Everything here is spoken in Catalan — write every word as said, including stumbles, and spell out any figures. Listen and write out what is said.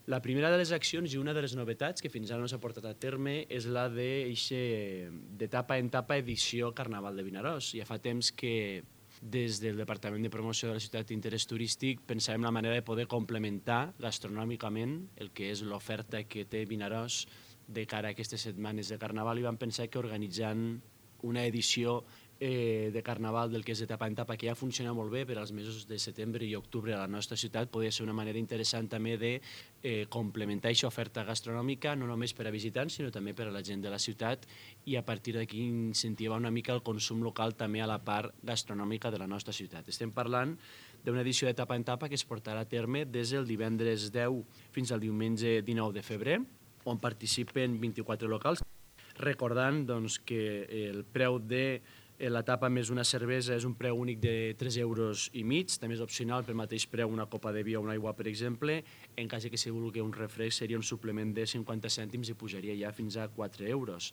La primera de les accions i una de les novetats que fins ara no s'ha portat a terme és la d'etapa en etapa edició Carnaval de Vinaròs. Ja fa temps que des del Departament de Promoció de la Ciutat d'Interès Turístic pensàvem la manera de poder complementar gastronòmicament el que és l'oferta que té Vinaròs de cara a aquestes setmanes de Carnaval i vam pensar que organitzant una edició eh, de Carnaval del que és etapa en etapa, que ja funciona molt bé per als mesos de setembre i octubre a la nostra ciutat, podria ser una manera interessant també de eh, complementar aquesta oferta gastronòmica, no només per a visitants, sinó també per a la gent de la ciutat, i a partir d'aquí incentivar una mica el consum local també a la part gastronòmica de la nostra ciutat. Estem parlant d'una edició d'etapa en etapa que es portarà a terme des del divendres deu fins al diumenge dinou de febrer, on participen vint-i-quatre locals. Recordant doncs, que el preu de l'etapa més una cervesa és un preu únic de tres euros i mig, també és opcional pel mateix preu una copa de vi o una aigua, per exemple. En cas que si vulgui un refresc seria un suplement de cinquanta cèntims i pujaria ja fins a quatre euros.